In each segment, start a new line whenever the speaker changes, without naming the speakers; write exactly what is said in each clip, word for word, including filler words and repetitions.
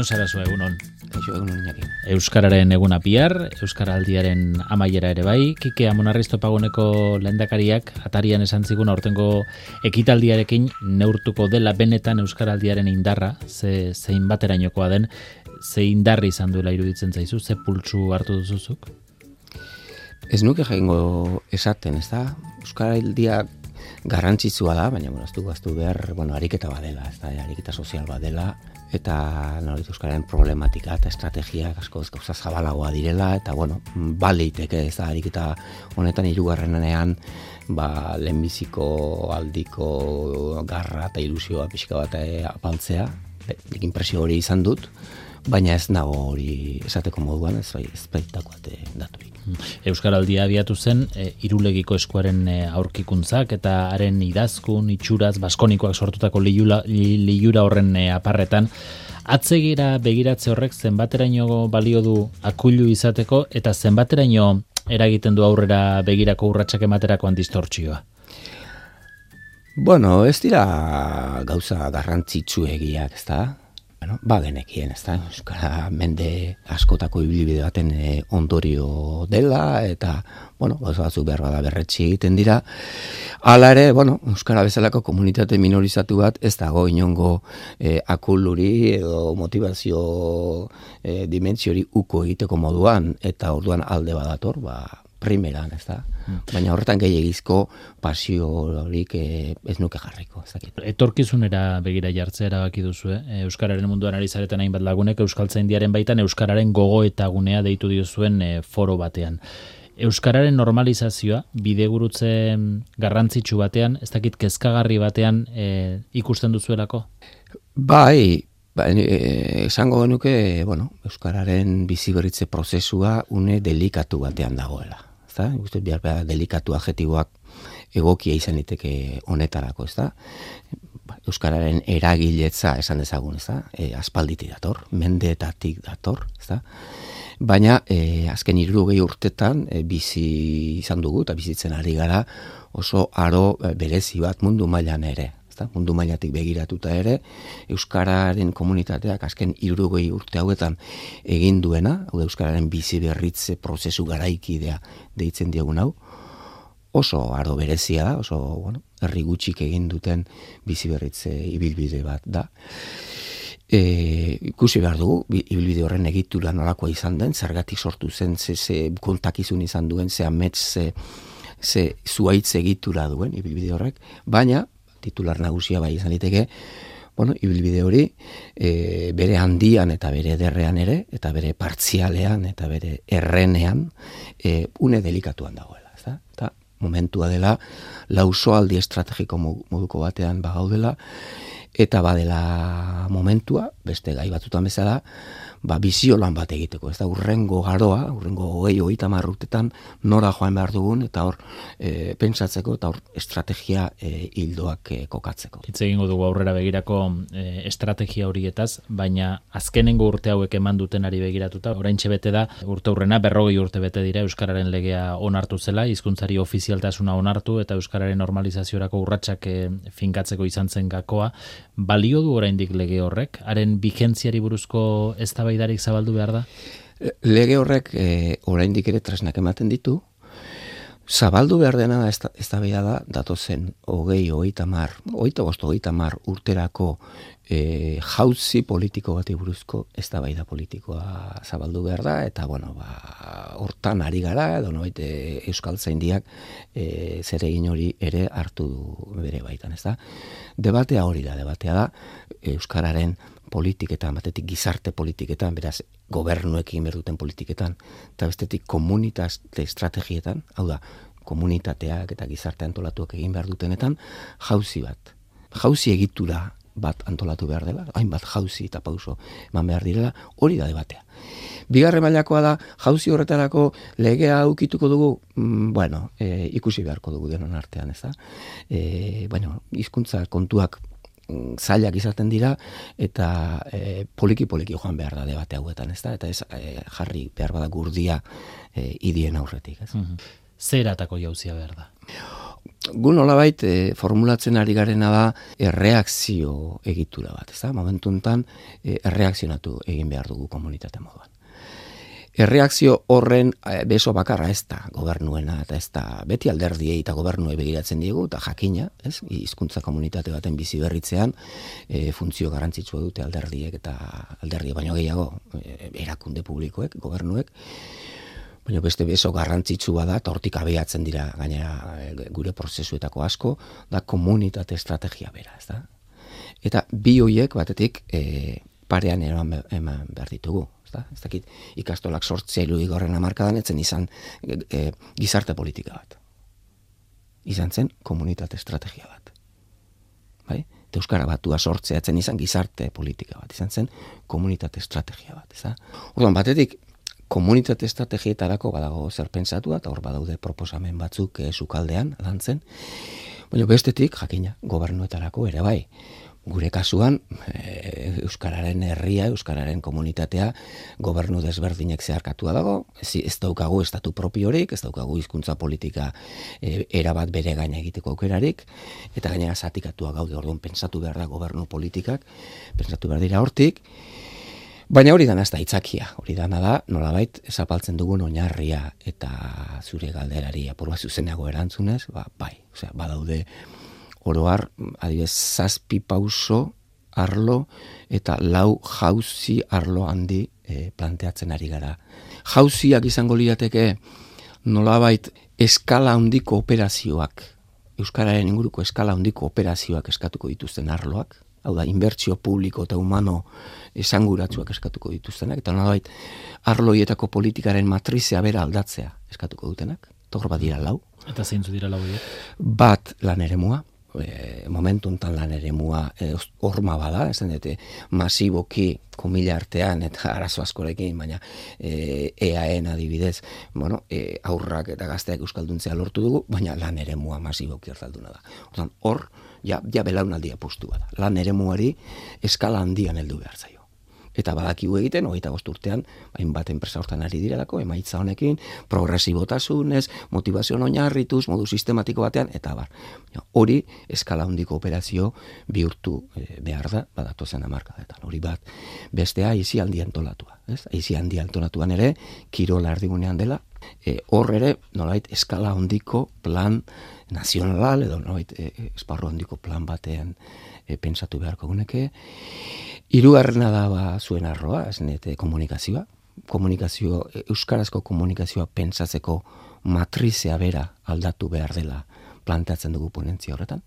Jon Sarasua, egunon.
Kaixo, egunon Iñaki.
Euskararen eguna bihar, Euskaraldiaren amaiera ere bai. Kike Amonarriz Topaguneko lehendakariak atarian esan zigun aurtengo ekitaldiarekin neurtuko dela benetan Euskaraldiaren indarra, ze zein baterainokoa den, ze indarri izan duela iruditzen zaizu, ze pultsu hartu duzuzuk?
Ez nuke jaingo esaten, ez da? Euskaraldia garrantzitsua da, baina bueno, ez du gaztu behar, bueno, ariketa badela, ez da, ariketa sozial badela, eta nolit euskararen problematika eta estrategiak asko gauza zabalagoa direla, eta bueno, baliteke, ez da, ariketa honetan hirugarrenean, ba, lehenbiziko aldiko garra eta ilusioa pixka bat apaltzea, nik inpresio hori izan dut, baina ez nago hori esateko moduan, ez bai, ez baitakoate daturik.
Euskaraldia abiatu zen, e, Irulegiko eskuaren e, aurkikuntzak eta haren idazkun, itxuraz, baskonikoak sortutako liura, liura horren e, aparretan. Atzegira begiratze horrek zenbateraino balio du akuilu izateko eta zenbateraino eragiten du aurrera begirako urratsak ematerakoan distortzioa?
Bueno, ez dira gauza garrantzitsuegiak, ez da? Bueno, ba genekien, ez da, euskara mende askotako ibilbide baten e, ondorio dela, eta, bueno, gauza batzuk behar bada berretsi egiten dira. Hala ere, bueno, euskara bezalako komunitate minorizatu bat ez dago inongo e, akuluri edo motivazio e, dimentsiori uko egiteko moduan, eta orduan alde badator, ba, primeran, ez da. Baina horretan gehiagizko pasio horik eh, ez nuke jarriko. Ez dakit.
Etorkizunera begira jartzea erabaki duzu, eh? Euskararen munduan ari zareten hainbat lagunek Euskaltzaindiaren baitan Euskararen gogoeta gunea deitu diozuen eh, foro batean. Euskararen normalizazioa bidegurutze garrantzitsu batean, ez dakit kezkagarri batean eh, ikusten duzuelako?
Bai, Ba, e, esango genuke, bueno, euskararen biziberritze prozesua une delikatu batean dagoela. Ezta? Ikusten behar behar delikatu adjetiboak egokia izan liteke honetarako, ezta? Euskararen eragiletza esan dezagun, ezta? E, aspalditik dator, mendeetatik dator, ezta? Baina e, azken hirurogei urtetan e, bizi izan dugu eta bizitzen ari gara oso aro e, berezi bat mundu mailan ere. Mundu mailatik begiratuta ere, euskararen komunitateak azken hirurogei urte hauetan egin duena, hau euskararen bizi berritze prozesu garaikidea deitzen diogun hau, oso aro berezia da, oso, bueno, herri gutxik egin duten bizi berritze ibilbide bat da. E, ikusi behar dugu, ibilbide horren egitura nolakoa izan den, zergatik sortu zen, ze, ze kontakizun izan duen, ze amets, ze, ze zuaitz egitura duen ibilbide horrek, baina titular nagusia bai izan liteke, bueno, ibilbide hori e, bere handian eta bere ederrean ere, eta bere partzialean eta bere errenean e, une delikatuan dagoela. Ezta? Eta momentua dela lausoaldi estrategiko moduko batean bagaudela, eta badela momentua, beste gai batzutan bezala, ba, bizio lan bat egiteko, ez da, urrengo garoa, urrengo hogei, hogeita hamar urtetan nora joan behar dugun, eta hor e, pentsatzeko, eta hor estrategia e, hildoak e, kokatzeko.
Hitz egingo dugu aurrera begirako e, estrategia horietaz, baina azkenengo urte hauek eman dutenari begiratuta, oraintxe bete da, urte hurrena, berrogei urte bete dira Euskararen legea onartu zela, hizkuntzari ofizialtasuna onartu, eta Euskararen normalizaziorako urratsak e, finkatzeko izan zen gakoa. Balio du oraindik lege horrek? Haren vigentziari buruzko eztabaidarik zabaldu behar da?
Lege horrek e, oraindik ere tresnak ematen ditu. Zabaldu behar dena eztabaida da datozen hogei, hogeita hamar, hogeita bost, hogeita hamar urterako e, jauzi politiko bati buruzko eztabaida politikoa zabaldu behar da, eta bueno, ba, hortan ari gara, edo nobait e, Euskaltzaindiak e, zeregin hori ere hartu bere baitan, ez da? Debatea hori da, debatea da Euskararen politiketan, batetik gizarte politiketan, beraz gobernuekin berduten politiketan, eta bestetik komunitate estrategietan, hau da, komunitateak eta gizarte antolatuak egin behar dutenetan, jauzi bat. Jauzi egitura bat antolatu behar dela, hainbat jauzi eta pauso eman behar direla, hori da debatea. Bigarren mailakoa da, jauzi horretarako legea aukituko dugu, mm, bueno, e, ikusi beharko dugu denon artean, ez da? E, bueno, hizkuntza kontuak zailak izaten dira, eta e, poliki-poliki joan behar da debate hauetan, ez da? Eta ez e, jarri behar bada gurdia e, idien aurretik, ez?
Mm-hmm. Zer atako jauzia behar da?
gu nolabait e, formulatzen ari garena da erreakzio egitura bat, ez da? Momentu honetan e, erreakzionatu egin behar dugu komunitate moduan. Erreakzio horren e, beso bakarra ez da gobernuena, eta ez da beti alderdiei eta gobernuei begiratzen diegu, eta jakina, ez? Hizkuntza komunitate baten bizi berritzean e, funtzio garrantzitsua dute alderdiek eta alderdiek baino gehiago e, erakunde publikoek, gobernuek, baina beste beso garrantzitsua da, eta hortik abiatzen dira gainera gure prozesuetako asko, da komunitate estrategia bera, ez da? Eta bi hoiek batetik e, parean eman, eman behar ditugu. Da? Ez dakit, ikastolak sortzea irudik horren hamarkadan etzen izan e, e, gizarte politika bat. Izan zen komunitate estrategia bat. Bai? Eta Euskara Batua sortzea etzen izan gizarte politika bat. Izan zen komunitate estrategia bat. Ez da? Orduan, batetik, komunitate estrategietarako badago zer pentsatua, eta hor badaude proposamen batzuk e, sukaldean lantzen. Baina bestetik, jakina, gobernuetarako ere bai. Gure kasuan, e, Euskararen herria, Euskararen komunitatea, gobernu desberdinek zeharkatua dago, ez, ez daukagu estatu propiorik, ez daukagu hizkuntza politika e, erabat bere gaina egiteko aukerarik, eta gainera zatikatua gaude, orduan pentsatu behar da gobernu politikak, pentsatu behar dira hortik, baina hori dana ez da itzakia, hori dana da, nolabait, zapaltzen dugun oinarria eta zure galderari apurua zuzenago erantzunez, ba, bai, osea, badaude, oroar, adibidez, zazpi pauso arlo eta lau jauzi arlo handi e, planteatzen ari gara. Jauziak izango lirateke nolabait eskala handiko operazioak, Euskararen inguruko eskala handiko operazioak eskatuko dituzten arloak, hau da, inbertsio publiko eta humano esanguratsuak eskatuko dituztenak, eta nolabait arloietako politikaren matrizea bera aldatzea eskatuko dutenak, togor bat dira lau.
Eta zeintzu dira lau horiek?
Bat lan eremua, E, momentu enten lan eremua e, horma bada, esan dute masiboki komila artean eta arazo askorekin, baina e, E A N adibidez, bueno, e, aurrak eta gazteak euskalduntzea lortu dugu, baina lan eremua masiboki hartalduna da. Ordan, hor, ja, ja belaunaldia postu bada. Lan eremuari eskala handian heldu behar zaio. Eta badakigu egiten, hogeita bost urtean, hainbat enpresa hortan ari direlako, emaitza honekin, progresibotasunez, motivazioan oinarrituz, modu sistematiko batean, eta bar. Hori, eskala handiko operazio bihurtu e, behar da, badatozen hamarkadetan. Hori bat, bestea, aizi handi antolatua. Ez? Aizi handi antolatuan ere, kirola erdigunean dela, e, hor ere, nolait, eskala handiko plan nazional, edo nolait, e, esparru handiko plan batean e, pentsatu beharko guneke. Hirugarrena da ba, zuen arroa, esnete komunikazioa. Komunikazio, euskarazko komunikazioa pentsatzeko matrizea bera aldatu behar dela planteatzen dugu ponentzia horretan.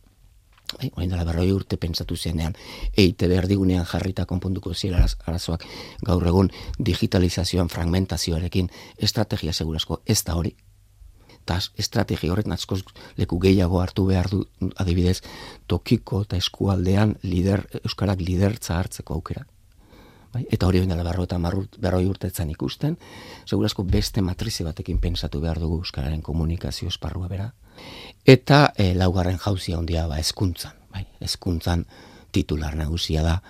Bai, orain dela berroi urte pentsatu zenean, E I Te B erdigunean jarrita konponduko zira arazoak gaur egun digitalizazioan fragmentazioarekin estrategia segurazko ez da hori. Eta estrategia horretan askoz leku gehiago hartu behar du adibidez tokiko eta eskualdean lider, euskarak lidertza hartzeko aukera. Bai? Eta hori dela berrota berroi urtetzen ikusten, segurazko beste matrize batekin pentsatu behar dugu euskararen komunikazio esparrua bera. Eta e, laugarren jauzia handia ba hezkuntzan, bai, hezkuntzan titular nagusia da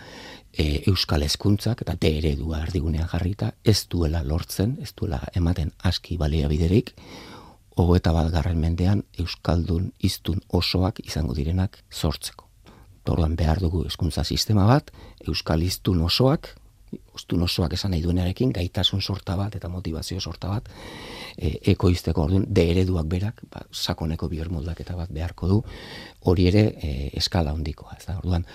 e, euskal hezkuntzak eta D eredua erdigunean jarrita ez duela lortzen, ez duela ematen aski baliabiderik. Hogeita bat garren mendean euskaldun hiztun osoak izango direnak sortzeko. Orduan behar dugu hezkuntza sistema bat, euskal hiztun osoak, hiztun osoak esan nahi duenarekin, gaitasun sorta bat eta motivazio sorta bat, e, ekoizteko orduan, de ereduak berak, ba, sakoneko bihermoldaketa bat beharko du, hori ere e, eskala handikoa. Ez da? Orduan,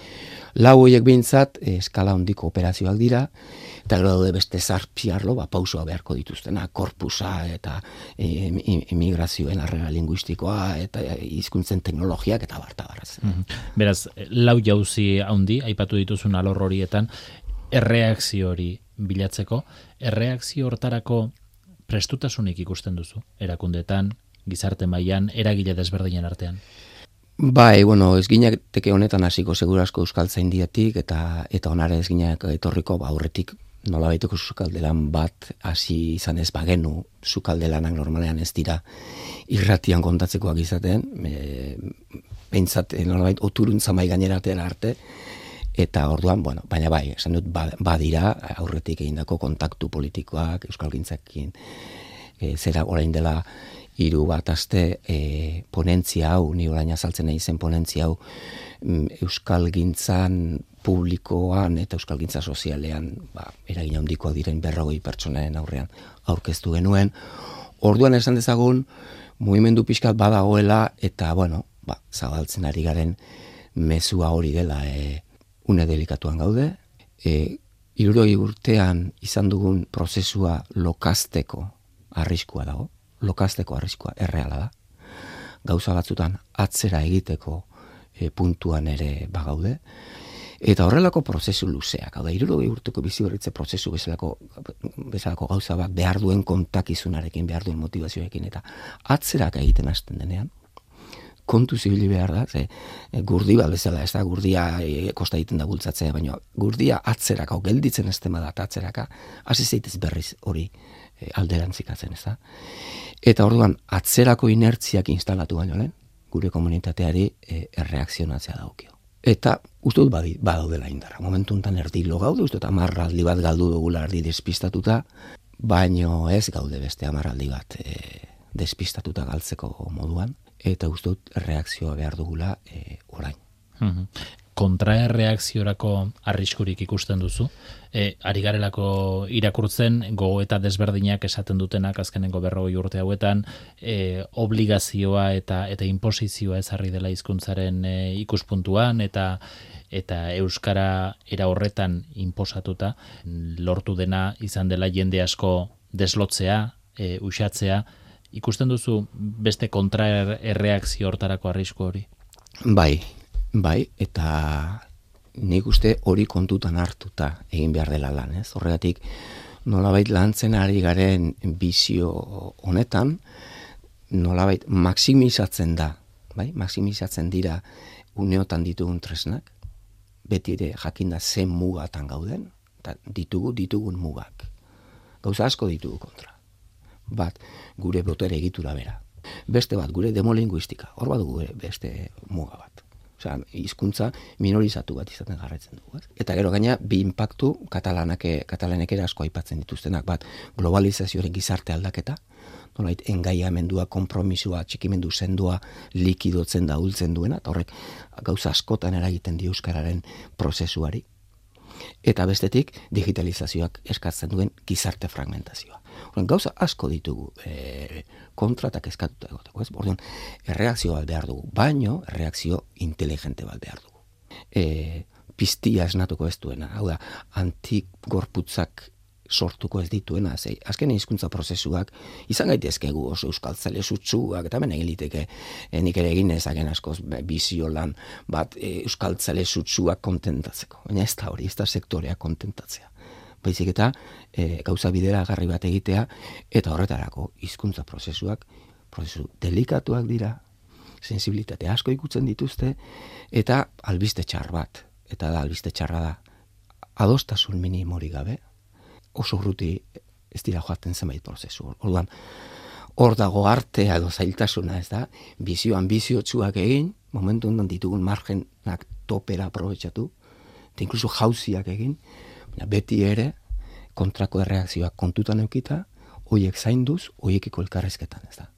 lau horiek behintzat e, eskala handiko operazioak dira, eta gero daude beste zarpiarlo, ba, pausoa beharko dituztena, korpusa eta e, emigrazioen harrera linguistikoa eta hizkuntzen teknologiak eta barta barraz.
Mm-hmm. Beraz, lau jauzi handi, aipatu dituzun alor horietan, erreakzio hori bilatzeko, erreakzio hortarako prestutasunik ikusten duzu, erakundetan, gizarte mailan, eragile desberdinen artean?
Bai, bueno, ez ginateke honetan hasiko segurazko euskaltzaindiatik eta eta onare ez ginak etorriko ba aurretik nolabaiteko sukaldelan bat hasi izan ez bagenu, sukaldelanak normalean ez dira irratian kontatzekoak izaten, e, behintzat nolabait oturuntza mai gaineratera arte, eta orduan, bueno, baina bai, esan dut badira aurretik egindako kontaktu politikoak euskalgintzakin e, zera orain dela hiru bat aste e, ponentzia hau, ni orain azaltzen nahi zen ponentzia hau, euskalgintzan publikoan eta euskalgintza sozialean ba, eragin handikoak diren berrogei pertsonaren aurrean aurkeztu genuen. Orduan esan dezagun, mugimendu pixkat badagoela eta, bueno, ba, zabaltzen ari garen mezua hori dela e, une delikatuan gaude. E, hirurogei urtean izan dugun prozesua lokazteko arriskua dago. Lokazteko arriskua erreala da. Gauza batzutan atzera egiteko e, puntuan ere bagaude. Eta horrelako prozesu luzeak, hau da, hirurogei urteko biziberritze prozesu bezalako, bezalako gauza bat behar duen kontakizunarekin, behar duen motivazioekin, eta atzerak egiten hasten denean, kontu zibili behar da, ze, gurdi bat bezala, ez da, gurdia e, kosta egiten da bultzatzea, baina gurdia atzerak, hau gelditzen ez tema da, atzeraka, hasi zeitez berriz hori e, alderantzikatzen, ez da. Eta orduan, atzerako inertziak instalatu baino lehen, gure komunitateari e, erreakzionatzea daukio. Eta uste dut badaudela indarra. Momentu enten erdi lo gaude, uste dut amarraldi bat galdu dugula erdi despistatuta, baino ez gaude beste amarraldi bat e, despistatuta galtzeko moduan, eta uste dut reakzioa behar dugula e, orain.
Mm-hmm. Kontraerreakziorako arriskurik ikusten duzu? E, ari garelako irakurtzen, gogo eta desberdinak esaten dutenak azkenengo berrogei urte hauetan, e, obligazioa eta eta inposizioa ezarri dela hizkuntzaren e, ikuspuntuan, eta eta euskara era horretan inposatuta lortu dena izan dela jende asko deslotzea, e, uxatzea. Ikusten duzu beste kontraerreakzio hortarako arrisku hori?
Bai, bai, eta nik uste hori kontutan hartuta egin behar dela lan, ez? Horregatik, nolabait lantzen ari garen bizio honetan, nolabait maksimizatzen da, bai? Maksimizatzen dira uneotan ditugun tresnak, beti ere jakinda zen mugatan gauden, eta ditugu ditugun mugak. Gauza asko ditugu kontra. Bat, gure botere egitura bera. Beste bat, gure demolinguistika. Hor bat gure beste muga bat. Osea, hizkuntza minorizatu bat izaten jarraitzen dugu. Ez? Eta gero gaina, bi inpaktu katalanak, katalanek ere asko aipatzen dituztenak. Bat, globalizazioaren gizarte aldaketa, nolait engaiamendua, konpromisua, txikimendu sendua likidotzen da hultzen duena, eta horrek gauza askotan eragiten di euskararen prozesuari. Eta bestetik, digitalizazioak eskatzen duen gizarte fragmentazioa. Orduan, gauza asko ditugu e, kontratak eskatuta egoteko, ez? Orduan, erreakzio bat behar dugu, baino erreakzio inteligente bat behar dugu. E, piztia esnatuko ez duena, hau da, antigorputzak sortuko ez dituena, zei, azken hizkuntza prozesuak izan gaitezkegu oso euskaltzale sutsuak, eta hemen egin liteke, e, nik ere egin ezagen askoz bizio lan bat e, euskaltzale sutsuak kontentatzeko. Baina ez da hori, ez da sektorea kontentatzea. Baizik eta e, gauza bidera agarri bat egitea, eta horretarako hizkuntza prozesuak, prozesu delikatuak dira, sensibilitate asko ikutzen dituzte, eta albiste txar bat, eta da albiste txarra da, adostasun minimori gabe, oso urruti ez dira joaten zenbait prozesu. Orduan, hor dago artea edo zailtasuna, ez da, bizio ambiziotsuak egin, momentu ondan ditugun margenak topera aprobetxatu, eta inkluso jauziak egin, beti ere kontrako erreakzioak kontutan eukita, hoiek zainduz, hoiekiko elkarrezketan, ez da.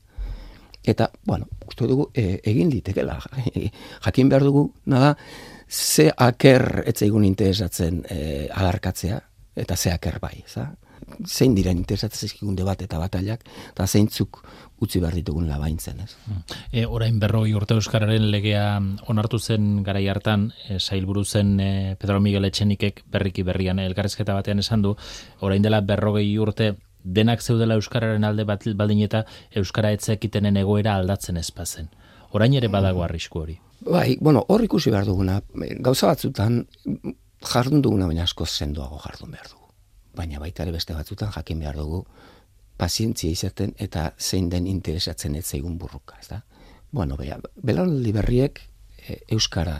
Eta, bueno, uste dugu e, egin litekela, jakin behar dugu, nada, ze aker etzaigun interesatzen e, adarkatzea, eta ze aker bai, ez da. Zein diren interesatzen zaizkigun debat eta batailak, eta zeintzuk utzi behar ditugun labaintzen, ez?
E, orain berrogei urte euskararen legea onartu zen garai hartan, e, sailburu zen e, Pedro Miguel Etxenikek berriki berrian elkarrizketa batean esan du, orain dela berrogei urte denak zeudela euskararen alde bat baldin eta euskara etzekitenen egoera aldatzen ezpazen. Orain ere badago arrisku hori.
Bai, bueno, hor ikusi behar duguna, gauza batzutan jardun duguna baina asko sendoago jardun behar dugu. Baina baita ere beste batzutan jakin behar dugu pazientzia izaten eta zein den interesatzen ez zaigun burruka, ez da? Bueno, bera, belaunaldi berriek e, euskara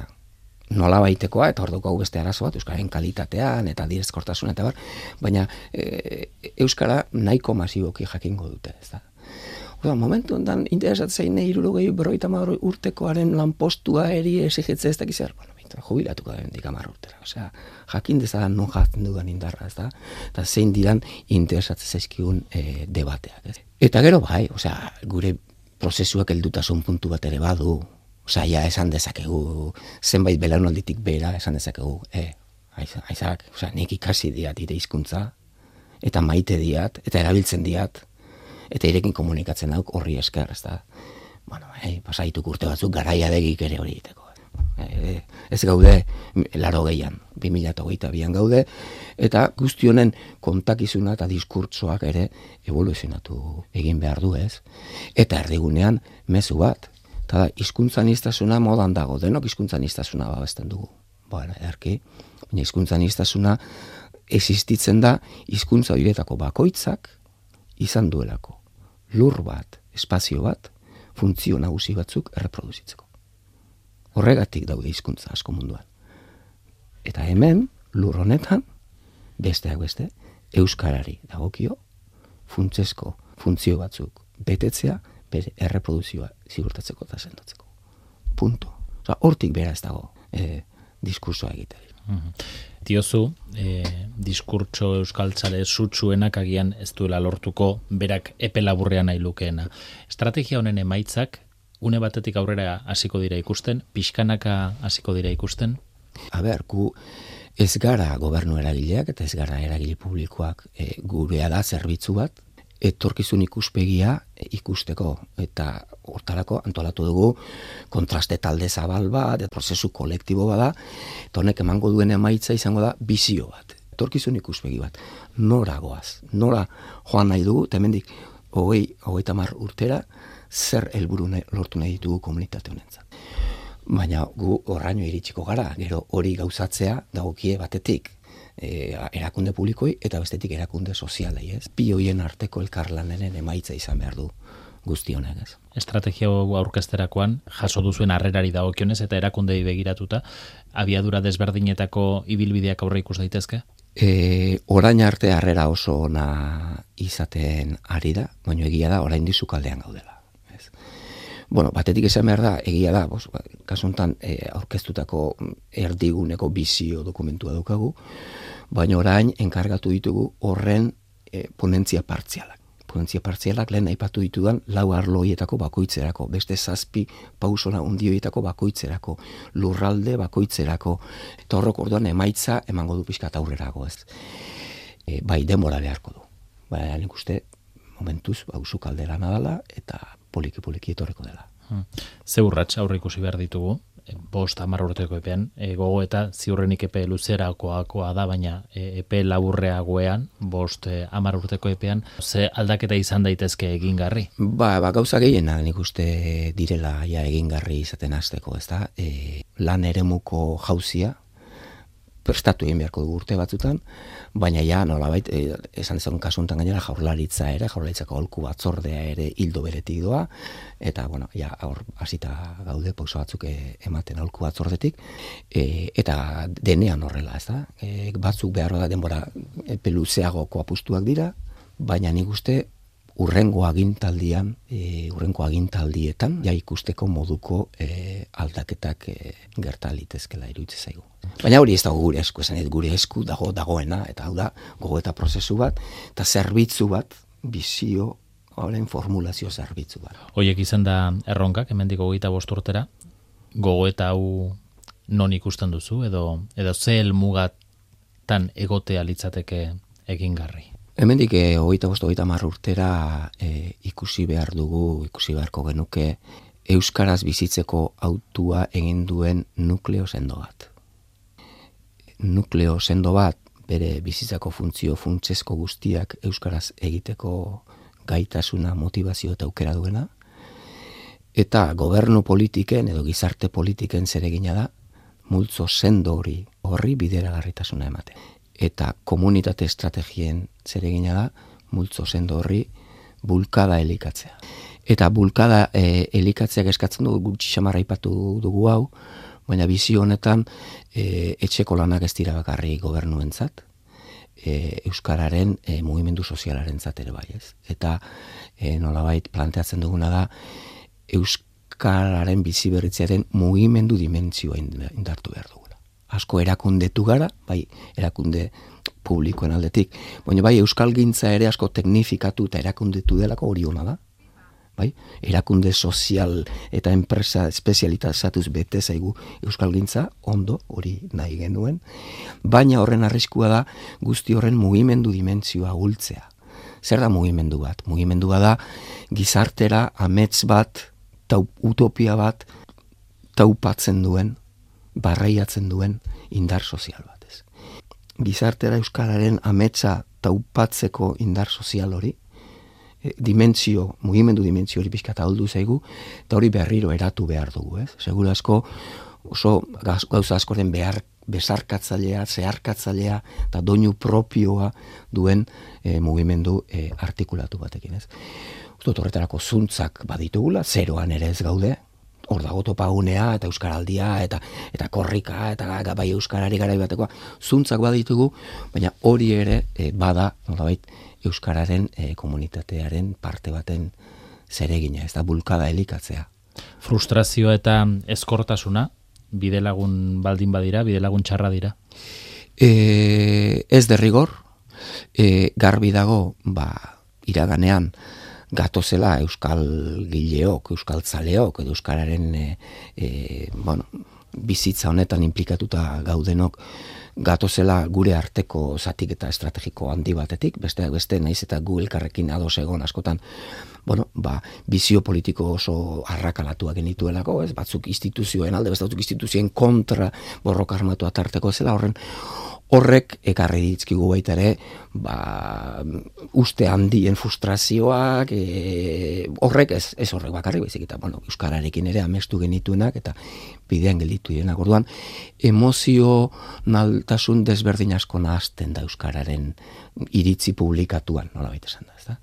nola baitekoa, eta hor dugu beste arazo bat, euskaren kalitatean eta direzkortasuna eta bar, baina e, euskara nahiko masiboki jakingo dute, ez da? Oda, momentu ondan interesatzen zein hirurogei berrogeita hamar urtekoaren lanpostua eri exigetze ez dakiz zer, bueno, jubilatuko da hendik hamar urtera. Osea, jakin dezadan non jatzen dudan indarra, ez da? Eta zein diran interesatzen zaizkigun e, debateak. Ez? Eta gero bai, osea, gure prozesuak heldutasun puntu bat ere badu. Osea, ja esan dezakegu, zenbait belaunalditik bera esan dezakegu, e, aizak, osea, nik ikasi diat ire hizkuntza, eta maite diat, eta erabiltzen diat, eta irekin komunikatzen dauk horri esker, ez da. Bueno, hey, pasaituk urte batzuk garaia begik ere hori egiteko. E, ez gaude laro gehian, bi mila hogeita bian gaude, eta guzti honen kontakizuna eta diskurtsoak ere evoluzionatu egin behar du, ez? Eta erdigunean mezu bat, eta da, hizkuntzaniztasuna modan dago, denok hizkuntzaniztasuna babesten dugu. Bueno, erki, baina hizkuntzaniztasuna existitzen da hizkuntza horietako bakoitzak izan duelako. Lur bat, espazio bat, funtzio nagusi batzuk erreproduzitzeko. Horregatik daude hizkuntza asko munduan. Eta hemen, lur honetan, besteak beste, euskarari dagokio, funtsezko funtzio batzuk betetzea, bere erreproduzioa ziurtatzeko eta sendotzeko. Punto. Osa, hortik bera ez dago e, diskursoa egiteri.
Mm-hmm. Diozu, e, diskurtso euskaltzale sutsuenak agian ez duela lortuko berak epe laburrean nahi lukeena. Estrategia honen emaitzak une batetik aurrera hasiko dira ikusten, pixkanaka hasiko dira ikusten?
A ber, gu ez gara gobernu eragileak eta ez gara eragile publikoak, e, gurea da zerbitzu bat, etorkizun ikuspegia ikusteko, eta hortarako antolatu dugu kontraste talde zabal bat, prozesu kolektibo bada, eta honek emango duen emaitza izango da bizio bat, etorkizun ikuspegi bat, nora goaz, nora joan nahi dugu, eta hemendik hogei, hogeita hamar urtera, zer helburu lortu nahi ditugu komunitate honentzat. Baina gu horraino iritsiko gara, gero hori gauzatzea dagokie batetik, E, erakunde publikoi eta bestetik erakunde sozialei, ez? Bi hoien arteko elkarlanenen emaitza izan behar du guzti honek, ez?
Estrategia aurkezterakoan jaso duzuen harrerari dagokionez eta erakundei begiratuta, abiadura desberdinetako ibilbideak aurre ikus daitezke?
E, orain arte harrera oso ona izaten ari da, baina egia da orain dizu kaldean gaudela. Ez? Bueno, batetik esan behar da, egia da, bos, kasu honetan e, aurkeztutako erdiguneko bizio dokumentua daukagu, baina orain enkargatu ditugu horren e, ponentzia partzialak. Ponentzia partzialak lehen aipatu ditudan lau arloietako bakoitzerako, beste zazpi pausona undioietako bakoitzerako, lurralde bakoitzerako, eta horrok orduan emaitza emango du pixka aurrerago, ez. E, bai, denbora beharko du. Baina nik uste momentuz pausu kaldera nadala eta poliki-poliki etorreko dela.
Hmm. Ze urrats aurre ikusi behar ditugu, e, bost hamar urteko epean, e, gogo eta ziurrenik epe luzerakoakoa da, baina e, epe laburreagoean, bost e, hamar urteko epean, ze aldaketa izan daitezke egingarri?
Ba, ba gauza gehiena nik uste direla ja egingarri izaten hasteko, ez da? E, lan eremuko jauzia, prestatu egin beharko dugu urte batzutan, baina ja nolabait e, esan dezagun kasu honetan gainera jaurlaritza ere, jaurlaritzako aholku batzordea ere hildo beretik doa, eta bueno, ja hor hasita gaude pauso batzuk e, ematen aholku batzordetik, e, eta denean horrela, ez da? E, batzuk behar da denbora epe luzeagoko apustuak dira, baina nik uste urrengo agintaldian, e, urrengo agintaldietan, ja ikusteko moduko e, aldaketak e, gerta litezkela iruditzen zaigu. Baina hori ez dago gure esku, esan ez gure esku dago dagoena, eta hau da, gogo eta prozesu bat, eta zerbitzu bat, bizio, horren formulazio zerbitzu bat.
Hoiek izan da erronkak, hemendik hogeita bost urtera, gogo eta hau non ikusten duzu, edo, edo ze helmugatan egotea litzateke egingarri?
Hemendik e, hogeita bost, hogeita hamar urtera e, ikusi behar dugu, ikusi beharko genuke, euskaraz bizitzeko autua egin duen nukleo sendo bat. Nukleo sendo bat, bere bizitzako funtzio funtsezko guztiak euskaraz egiteko gaitasuna, motivazio eta aukera duena, eta gobernu politiken edo gizarte politiken zeregina da, multzo sendo hori horri bideragarritasuna emate. Eta komunitate estrategien zeregina da, multzo sendo horri bulkada elikatzea. Eta bulkada e, elikatzeak eskatzen dugu, gutxi xamarra aipatu dugu hau, baina bizio honetan e, etxeko lanak ez dira bakarri gobernuentzat, e, euskararen e, mugimendu sozialarentzat ere bai, ez. Eta e, nolabait planteatzen duguna da euskararen biziberritzearen mugimendu dimentsioa indartu behar dugula. Asko erakundetu gara, bai erakunde publikoen aldetik, baina bai euskalgintza ere asko teknifikatu eta erakundetu delako hori ona da. bai? Erakunde sozial eta enpresa espezializatuz bete zaigu euskalgintza, ondo, hori nahi genuen, baina horren arriskua da guzti horren mugimendu dimentsioa gultzea. Zer da mugimendu bat? Mugimendua da gizartera amets bat, tau, utopia bat, taupatzen duen, barreiatzen duen indar sozial bat. Ez. Gizartera euskararen ametsa taupatzeko indar sozial hori, e, dimentsio, mugimendu dimentsio hori pixka eta holdu zaigu, eta hori berriro eratu behar dugu. Ez. Seguru asko oso gauza askoren behar besarkatzailea, zeharkatzailea eta doinu propioa duen e, mugimendu e, artikulatu batekin. Ez. Uste horretarako zuntzak baditugula, zeroan ere ez gaude, hor dago topagunea eta euskaraldia eta eta korrika eta bai euskarari garai batekoa zuntzak baditugu, baina hori ere e, bada nolabait euskararen e, komunitatearen parte baten zeregina, ez da bulkada elikatzea.
Frustrazioa eta ezkortasuna bidelagun baldin badira, bidelagun txarra dira.
E, ez derrigor, e, garbi dago, ba, iraganean gatozela euskal gileok, euskal zaleok, edo euskararen e, e, bueno, bizitza honetan implikatuta gaudenok, gatozela gure arteko zatik eta estrategiko handi batetik, besteak beste naiz eta gu elkarrekin ados egon askotan, bueno, ba, bizio politiko oso arrakalatuak genituelako, ez, batzuk instituzioen alde, beste batzuk instituzioen kontra borroka armatua tarteko zela, horren horrek ekarri ditzkigu baita ere, ba, uste handien frustrazioak, e, horrek ez, ez horrek bakarrik, baizik eta, bueno, euskararekin ere amestu genituenak eta bidean gelditu direnak. Orduan, emozionaltasun desberdin asko nahazten da euskararen iritzi publikatuan, nola baita esan da, ez da?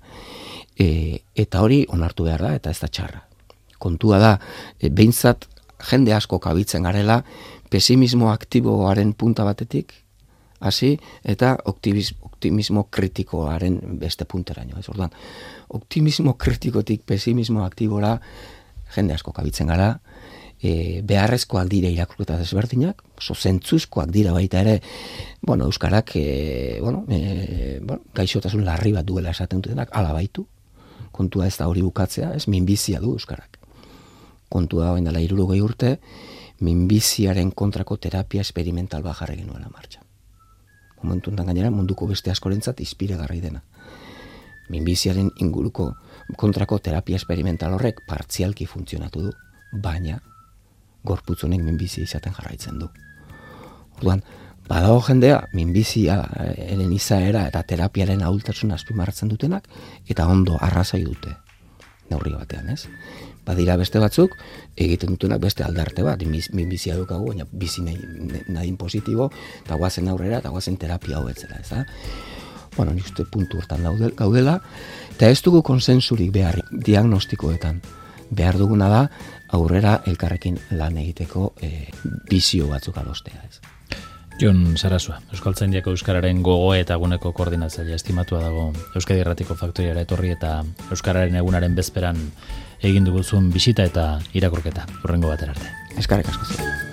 E, eta hori onartu behar da, eta ez da txarra. Kontua da, e, behintzat jende asko kabitzen garela, pesimismo aktiboaren punta batetik, hasi eta optimismo, optimismo kritikoaren beste punteraino. Ez orduan, optimismo kritikotik pesimismo aktibora jende asko kabitzen gara, e, beharrezkoak dira irakurketa desberdinak, oso zentzuzkoak dira baita ere, bueno, euskarak e, bueno, e, bueno, gaixotasun larri bat duela esaten dutenak, ala baitu, kontua ez da hori bukatzea, ez minbizia du euskarak. Kontua da dela hirurogei urte, minbiziaren kontrako terapia experimental bat jarri genuela martxan. Momentu enten gainera munduko beste askorentzat inspiragarri dena. Minbiziaren inguruko kontrako terapia experimental horrek partzialki funtzionatu du, baina gorputz honek minbizia izaten jarraitzen du. Orduan, badago jendea minbiziaren izaera eta terapiaren ahultasun azpimarratzen dutenak eta ondo arrazai dute neurri batean, ez? Badira beste batzuk egiten dutenak beste aldarte bat, minbizia dukagu, baina bizi nahi, nahi positibo, eta guazen aurrera, eta guazen terapia hobetzela, ez da? Bueno, nik uste puntu hortan gaudela, eta ez dugu konsensurik behar diagnostikoetan. Behar duguna da aurrera elkarrekin lan egiteko e, bizio batzuk adostea, ez?
Jon Sarasua, Euskaltzaindiako Euskararen gogo eta eguneko koordinatzailea estimatua dago Euskadi Irratiko Faktoriara etorri eta Euskararen egunaren bezperan egin duguzun bisita eta irakurketa. Hurrengo batera arte.
Eskerrik asko.